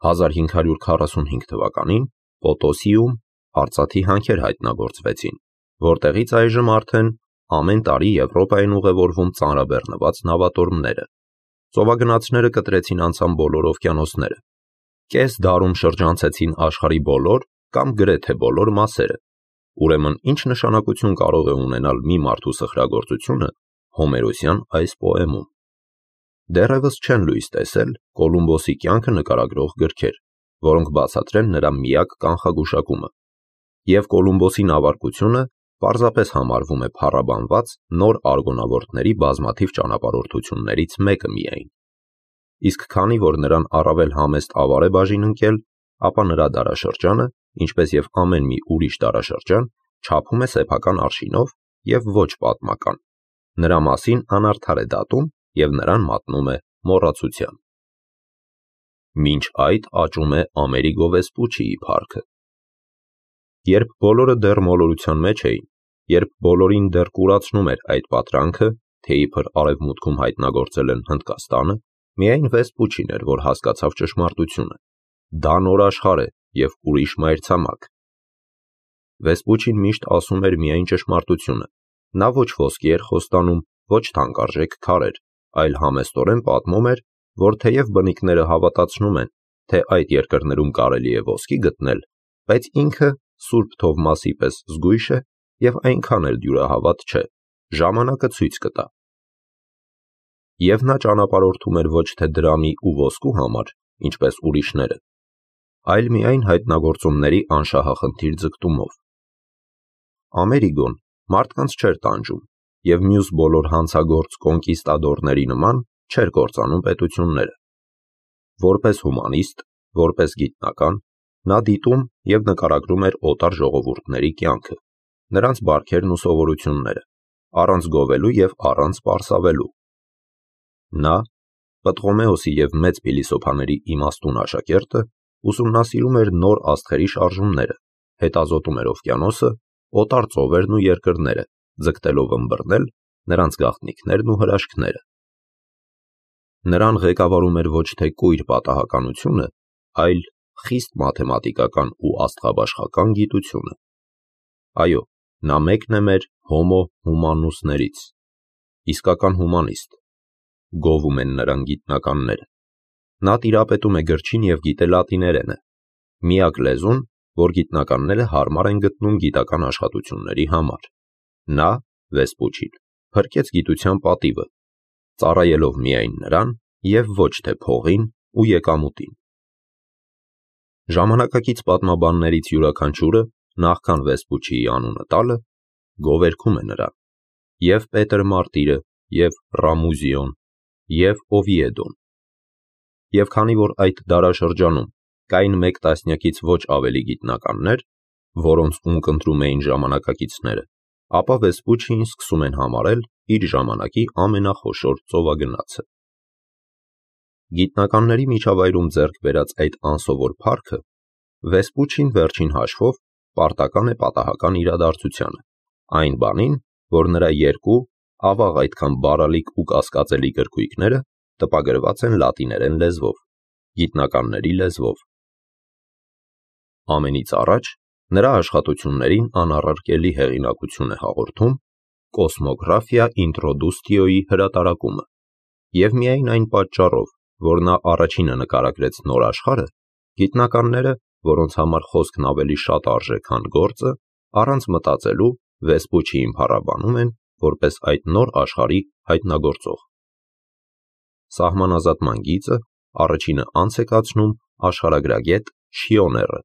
1545 թվականին Պոտոսիում արծաթի հանքեր հայտնագործվեցին, որտեղից այժմ արդեն ամեն տարի Եվրոպա են ուղևորվում ծանրաբեռնված նավատորմները։ Ծովագնացները կտրեցին անցան բոլոր օվկիանոսները։ Կես դարում շրջանցեցին աշխարհի բոլոր կամ գրեթե բոլոր մասերը։ Ուրեմն ինչ նշանակություն կարող է ունենալ մի մարդու սխրագործությունը Հոմերոսյան այս պոեմում։ Դեռևս չեն լույս տեսել Կոլումբոսի կյանքը նկարագրող գրքեր, որոնք բացատրեն նրա միակ կանխագուշակումը, և Կոլումբոսի նավարկությունը պարզապես համարվում է փառաբանված նոր արգոնավորտների բազմաթիվ ճանապարհորդություններից մեկը միայն։ Իսկ քանի որ նրան առավել համեստ ավար է բաժին ընկել, ապա նրա դարաշրջանը, ինչպես և ամեն մի ուրիշ դարաշրջան, չափում է սեփական արշինով և ոչ պատմական։ Նրա մասին անարդար է դատում և նրան մատնում է մոռացության։ Մինչ այդ աճում է Ամերիգո Վեսպուչիի փառքը։ Երբ բոլորը դեռ մոլորության մեջ էին, երբ բոլորին դեռ կուրացնում էր այդ պատրանքը, թե իբր արևմուտքում հայտնագործել են Հնդկաստանը, միայն Վեսպուչին էր, որ հասկացավ ճշմարտությունը։ Դա նոր աշխարհ է և ուրիշ մայրցամաք։ Վեսպուչին միշտ ասում էր միայն ճշմարտությունը։ Նա ոչ ոսկի էր խոստանում, ոչ թանկարժեք քարեր, այլ համեստորեն պատմում էր, որ թեև բնիկները հավատացնում են, թե այդ երկրներում կարելի է ոսկի գտնել, բայց ինքը Սուրբ Թովմասի պես զգույշ է և այնքան էլ դյուրահավատ չէ, ժամանակը ցույց կտա։ Եվ նա ճանապարհորդում էր ոչ թե դրամի ու ոսկու համար, ինչպես ուրիշները, այլ միայն հայտնագործումների անշահախնդիր ձգտումով։ Ամերիգոն մարդկանց չէր տանջում և մյուս բոլոր հանցագործ կոնկիստադորների նման չէր կործանում պետությունները։ Որպես հումանիստ, որպես գիտնական, նա դիտում և նկարագրում էր օտար ժողովուրդների կյանքը, նրանց բարքերն ու սովորությունները, առանց գովելու և առանց պարսավելու։ Նա, Պտղոմեոսի և մեծ փիլիսոփաների իմաստուն աշակերտը, ուսումնասիրում էր նոր աստղերի շարժումները, հետազոտում էր օվկիանոսը, օտար ծովերն ու երկրները, ձգտելով ըմբռնել նրանց գաղտնիքներն ու հրաշքները։ Նրան ղեկավարում էր ոչ թե կույր պատահականությունը, այլ խիստ մաթեմատիկական ու աստղաբաշխական գիտությունը։ Այո, նա մեկն է մեր հոմո հումանուսներից, իսկական հումանիստ։ Գովում են նրան գիտնականները։ Նա տիրապետում է գրչին և գիտե լատիներենը, միակ լեզուն, որ գիտնականները հարմար են գտնում գիտական աշխատությունների համար։ Նա, Վեսպուչին, փրկեց գիտության պատիվը, ծառայելով միայն նրան և ոչ թե փողին ու եկամուտին։ Ժամանակակից պատմաբաններից յուրաքանչյուրը, նախքան Վեսպուչիի անունը տալը, գովերգում է նրան, և Պետր Մարտիրը, և Ռամուզիոն, և Օվիեդոն։ Եվ քանի որ այդ դարաշրջանում կային մեկ տասնյակից ոչ ավելի գիտնականներ, որոնց ունկնդրում էին ժամանակակիցները, ապա Վեսպուչիին սկսում են համարել իր ժամանակի ամենախոշոր ծովագնացը։ Գիտնականների միջավայրում ձեռք բերած այդ անսովոր փառքը Վեսպուչին վերջին հաշվով պարտական է պատահական իրադարձությանը, այն բանին, որ նրա երկու ավաղ այդքան բարալիկ ու կասկածելի գրքույկները տպագրված են լատիներեն լեզվով, գիտնականների լեզվով։ Ամենից առաջ նրա աշխատություններին անառարկելի հեղինակություն է հաղորդում Կոսմոգրաֆիա ինտրոդուստիոյի հրատարակումը, և միայն այն պատճառով, որ նա առաջինը նկարագրեց նոր աշխարհը, գիտնականները, որոնց համար խոսքն ավելի շատ արժե, քան գործը, առանց մտածելու Վեսպուչիին փառաբանում են որպես այդ նոր աշխարհի հայտնագործող։ Սահմանազատման գիծը առաջինը անց է կացնում աշխարհագրագետ Շիոները։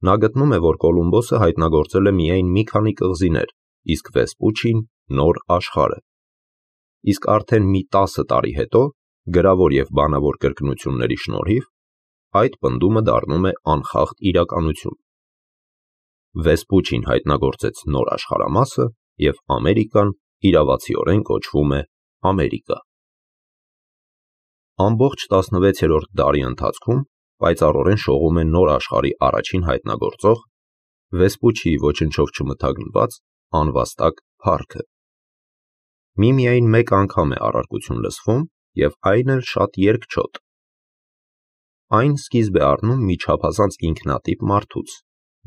Նա գտնում է, որ Կոլումբոսը հայտնագործել է միայն մի քանի կղզիներ, իսկ Վեսպուչին նոր աշխարհը։ Իսկ արդեն մի 10 տարի հետո, գրավոր և բանավոր կրկնությունների շնորհիվ, այդ պնդումը դառնում է անխախտ իրականություն։ Վեսպուչին հայտնագործեց նոր աշխարհամասը, և Ամերիկան իրավացիորեն կոչվում է Ամերիկա։ Ամբողջ 16-րդ դարի ընթացքում պայծառորեն շողում է նոր աշխարհի առաջին հայտնագործող, Վեսպուչիի ոչնչով չմթագնված անվաստակ փառքը։ Միմիայն 1 անգամ է առարկություն լսվում, և այն էլ շատ երկչոտ։ այն սկիզբ է առնում մի չափազանց ինքնատիպ մարդուց,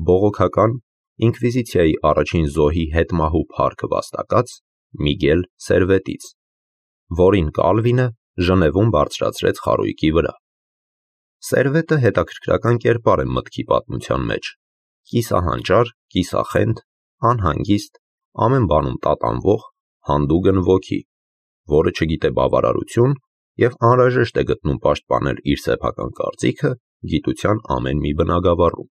բողոքական ինկվիզիցիայի առաջին զոհի հետմահու փառքը վաստակած Միգել Սերվետից, որին Կալվինը Ժնևում բարձրացրեց խարույկի վրա։ Սերվետը հետաքրքրական կերպար է մտքի պատմության մեջ, կիսահանճար, կիսախենդ, անհանգիստ, ամեն բանում տատանվող, հանդուգն ոգի, որը չգիտե բավարարություն և անհրաժեշտ է գտնում պաշտպանել իր սեփական կարծիքը գիտության ամեն մի բնագավառում։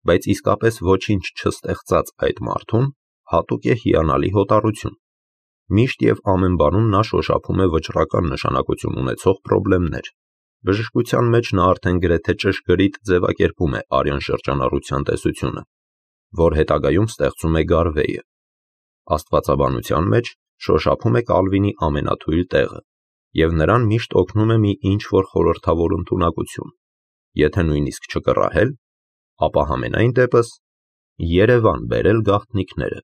Բայց իսկապես ոչինչ չստեղծած այդ մարդուն հատուկ է հիանալի հոտառություն։ Միշտ և ամեն բանում նա շոշափում է վճռական նշանակություն ունեցող պրոբլեմներ։ Բժշկության մեջ նա արդեն գրեթե ճշգրիտ ձևակերպում է արյան շրջանառության տեսությունը, որ հետագայում ստեղծում է Գարվեյը։ Աստվածաբանության մեջ շոշափում է Կալվինի ամենաթույլ տեղը, և նրան միշտ օգնում է մի ինչ-որ խորհրդավոր ընդունակություն, եթե նույնիսկ չկռահել, ապա համենայն դեպս Երևան բերել գաղտնիքները։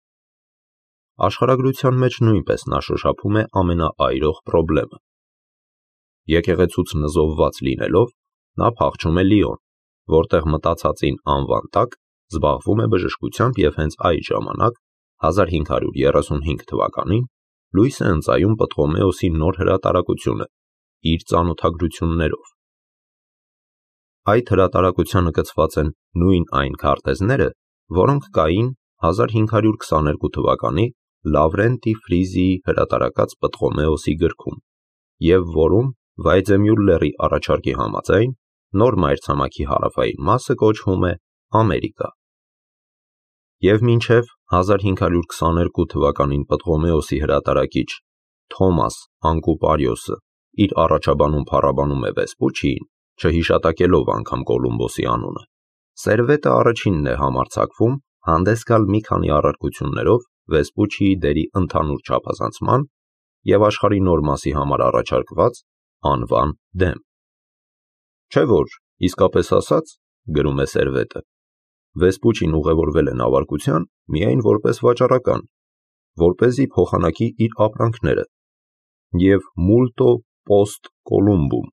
Աշխարհագրության մեջ նույնպես նա շոշափում է ամենաայրող պրոբլեմը։ Եկեղեցուց նզովված լինելով, նա փախչում է Լիոն, որտեղ մտածածին անվան տակ զբաղվում է բժշկությամբ և հենց այդ ժամանակ 1535 թվականին լույս է ընծայում Պտղոմեոսի նոր հրատարակությունը իր ծանոթագրություններով։ Այդ հրատարակությանը գծված են նույն այն քարտեզները, որոնք կային 1522 թվականի Լավրենտի Ֆրիզիի հրատարակած Պտղոմեոսի գրքում և որում Վայձեմյուլլերի առաջարկի համաձայն նոր մայրցամաքի հարավային մասը կոչվում է Ամերիկա։ Եվ մինչև 1522 թվականին Պտղոմեոսի հրատարակիչ Թոմաս Անկուպարիոսը իր առաջաբանում փառաբանում է Վեսպուչիին, չհիշատակելով անգամ Կոլումբոսի անունը, Սերվետը առաջինն է համարձակվում հանդես գալ մի քանի առարկություններով Վեսպուչիի դերի ընդհանուր չափազանցման և աշխարհի նոր մասի համար առաջարկված անվան դեմ։ Չէ՞ որ, իսկապես ասած, գրում է Սերվետը, Վեսպուչին ուղևորվել է նավարկության միայն որպես վաճառական, որպեսզի փոխանակի իր ապրանքները, և multo post Columbum,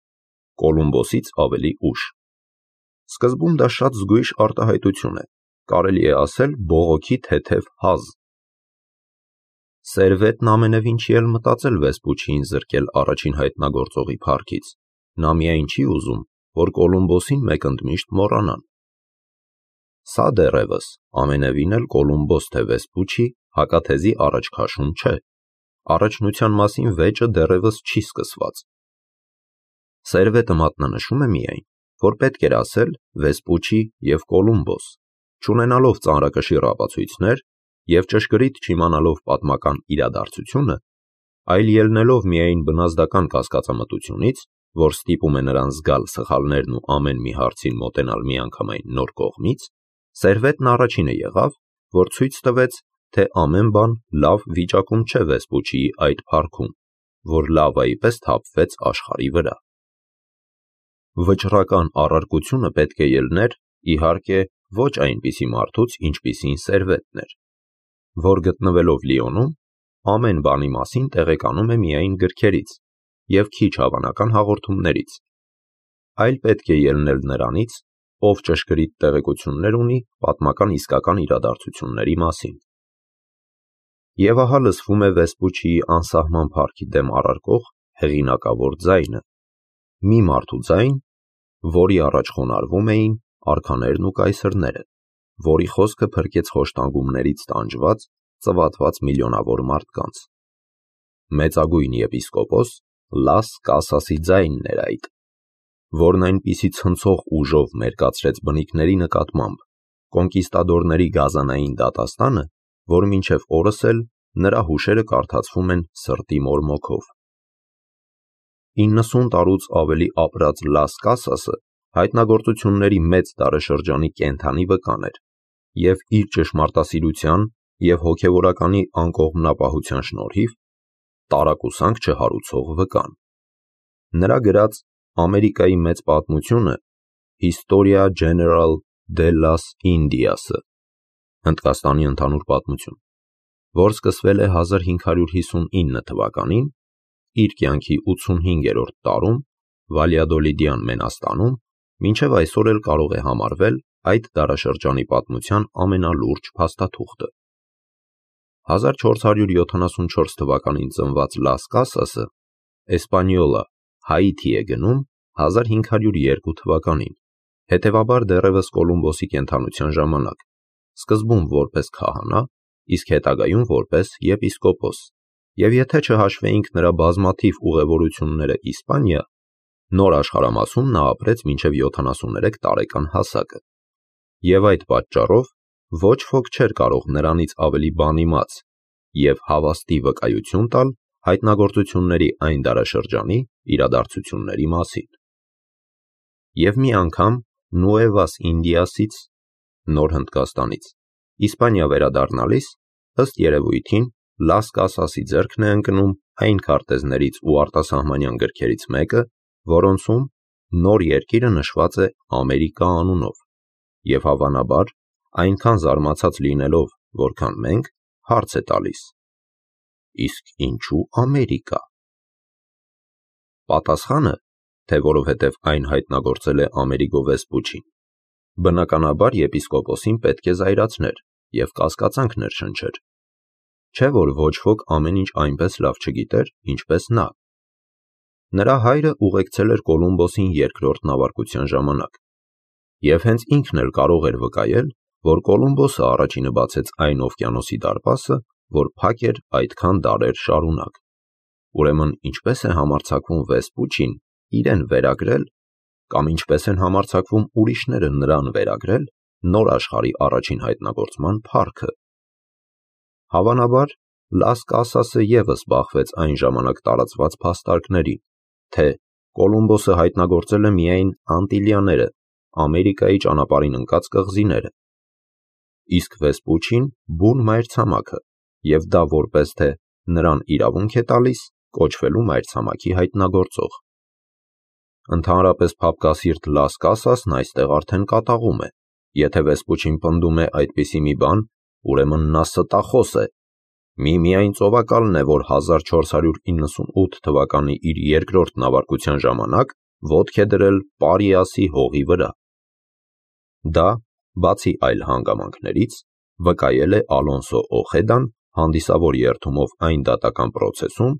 Կոլումբոսից ավելի ուշ։ Սկզբում դա շատ զգույշ արտահայտություն է, կարելի է ասել բողոքի թեթև հազ։ Սերվետն ամենևին չի էլ մտածել Վեսպուչիին զրկել առաջին հայտնագործողի փառքից, նա միայն չի ուզում, որ Կոլումբոսին մեկընդմիշտ մոռանան։ Սա դեռևս ամենևին էլ Կոլումբոս թե Վեսպուչի հակաթեզի առաջքաշում չէ, առաջնության մասին վեճը դեռևս չի սկսված։ Սերվետը մատնանշում է միայն, որ պետք էր ասել Վեսպուչի և Կոլումբոս, չունենալով ծանրակշիռ ապացույցներ և ճշգրիտ չիմանալով պատմական իրադարձությունը, այլ ելնելով միայն բնազդական կասկածամտությունից, որ ստիպում է նրան զգալ սխալներն ու ամեն մի հարցին մոտենալ միանգամայն նոր կողմից, Սերվետն առաջինը եղավ, որ ցույց տվեց, թե ամեն բան լավ վիճակում չէ Վեսպուչիի այդ փառքում, որ լավայի պես թափվեց աշխարհի վրա։ Վճռական առարկությունը պետք է ելներ, իհարկե, ոչ այնպիսի մարդուց, ինչպիսին Սերվետն էր, որ գտնվելով Լիոնում, ամեն բանի մասին տեղեկանում է միայն գրքերից և քիչ հավանական հաղորդումներից, այլ պետք է ելնել նրանից, ով ճշգրիտ տեղեկություններ ունի պատմական իսկական իրադարձությունների մասին։ Եվ ահա լսվում է Վեսպուչիի անսահման փառքի դեմ առարկող հեղինակավոր ձայնը, մի մարդու ձայն, որի առաջ խոնարհվում էին արքաներն ու կայսրները, որի խոսքը փրկեց խոշտանգումներից տանջված, ծվատված միլիոնավոր մարդկանց։ Մեծագույն եպիսկոպոս Լաս Կասասի ձայնն էր այդ, որն այնպիսի ցնցող ուժով մերկացրեց բնիկների նկատմամբ կոնկիստադորների գազանային դատաստանը, որ մինչև օրս էլ նրա հուշերը կարդացվում են սրտի մորմոքով։ 90 տարուց ավելի ապրած Լաս Կասասը հայտնագործությունների մեծ դարաշրջանի կենդանի վկան էր և իր ճշմարտասիրության և հոգևորականի անկողմնապահության շնորհիվ տարակուսանք չհարուցող վկան։ Նրա գրած Ամերիկայի մեծ պատմությունը Historia General de las Indias-ը Հնդկաստանի ընդհանուր պատմություն, որ սկսվել է 1559 թվականին, իր կյանքի 85-րդ տարում Վալյադոլիդյան Մենաստանում մինչև այսօր էլ կարող է համարվել այդ դարաշրջանի պատմության ամենալուրջ փաստաթուղթը։ 1474 թվականին ծնված Լաս Կասասը Էսպանիոլա, Հայիթի է գնում 1502 թվականին, հետևաբար դեռևս Կոլումբոսի կենդանության ժամանակ, սկզբում որպես քահանա, իսկ հետագայում որպես եպիսկոպոս, և եթե չհաշվեինք նրա բազմաթիվ ուղևորությունները Իսպանիա, նոր աշխարհամասում նա ապրեց մինչև 73 տարեկան հասակը, և այդ պատճառով ոչ ոք չէր կարող նրանից ավելի բան իմաց և հավաստի վկայություն տալ հայտնագործությունների այն դարաշրջանի իրադարձությունների մասին։ Եվ մի անգամ Նուևաս Ինդիասից (Նոր Հնդկաստանից) Իսպանիա վերադառնալիս, ըստ երևույթին, Լաս Կասասի ձեռքն է ընկնում այն քարտեզներից ու արտասահմանյան գրքերից մեկը, որոնցում նոր երկիրը նշված է Ամերիկա անունով, և հավանաբար, այնքան զարմացած լինելով, որքան մենք, հարց է տալիս. իսկ ինչու Ամերիկա։ Պատասխանը, թե որովհետև այն հայտնագործել է Ամերիգո Վեսպուչին, բնականաբար եպիսկոպոսին պետք է զայրացներ և կասկածանք ներշնչեր, չէ որ ոչ ոք ամեն ինչ այնպես լավ չգիտեր, ինչպես նա։ Նրա հայրը ուղեկցել էր Կոլումբոսին երկրորդ նավարկության ժամանակ, և հենց ինքն էլ կարող էր վկայել, որ Կոլումբոսը առաջինը բացեց այն օվկիանոսի դարպասը, որ փակ էր այդքան դարեր շարունակ։ Ուրեմն ինչպե՞ս է համարձակվում Վեսպուչին իրեն վերագրել, կամ ինչպես են համարձակվում ուրիշները նրան վերագրել նոր աշխարհի առաջին հայտնագործման փառքը։ Հավանաբար, Լաս Կասասը ևս բախվեց այն ժամանակ տարածված փաստարկներին, թե Կոլումբոսը հայտնագործել է միայն Անտիլիաները, Ամերիկայի ճանապարհին ընկած կղզիները, իսկ Վեսպուչին բուն մայրցամաքը, և դա որպես թե նրան իրավունք է տալիս կոչվելու մայրցամաքի հայտնագործող։ Ընդհանրապես փափկասիրտ Լաս Կասասն այստեղ արդեն կատաղում է, եթե Վեսպուչին պնդում է այդպիսի մի բան, ուրեմն նա ստախոս է, միայն ծովակալն է, որ 1498 թվականի իր երկրորդ նավարկության ժամանակ ոտք է դրել Պարիասի հողի վրա։ Դա, բացի այլ հանգամանքներից, վկայել է Ալոնսո Օխեդան հանդիսավոր երդումով այն դատական պրոցեսում,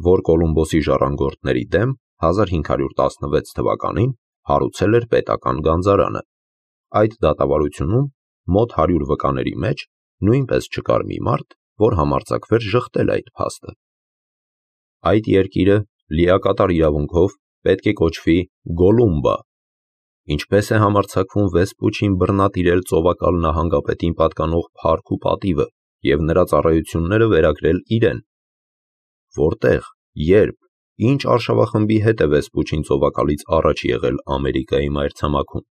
որ Կոլումբոսի ժառանգորդների դեմ 1516 թվականին հարուցել էր պետական գանձարանը։ Այդ դատավարությունում մոտ 100 վկաների մեջ նույնպես չկար մի մարդ, որ համարձակվեր ժխտել այդ փաստը։ Այդ երկիրը լիակատար իրավունքով պետք է կոչվի Գոլումբա։ Ինչպես է համարձակվում Վեսպուչին բռնատիրել ծովակալ նահանգապետին պատկանող փառք ու պատիվը և նրա ծառայությունները վերագրել իրեն։ Որտեղ, երբ, ինչ արշավախմբի հետ է Վեսպուչին ծովակալից առաջ եղել Ամերիկայի մայրցամաքում։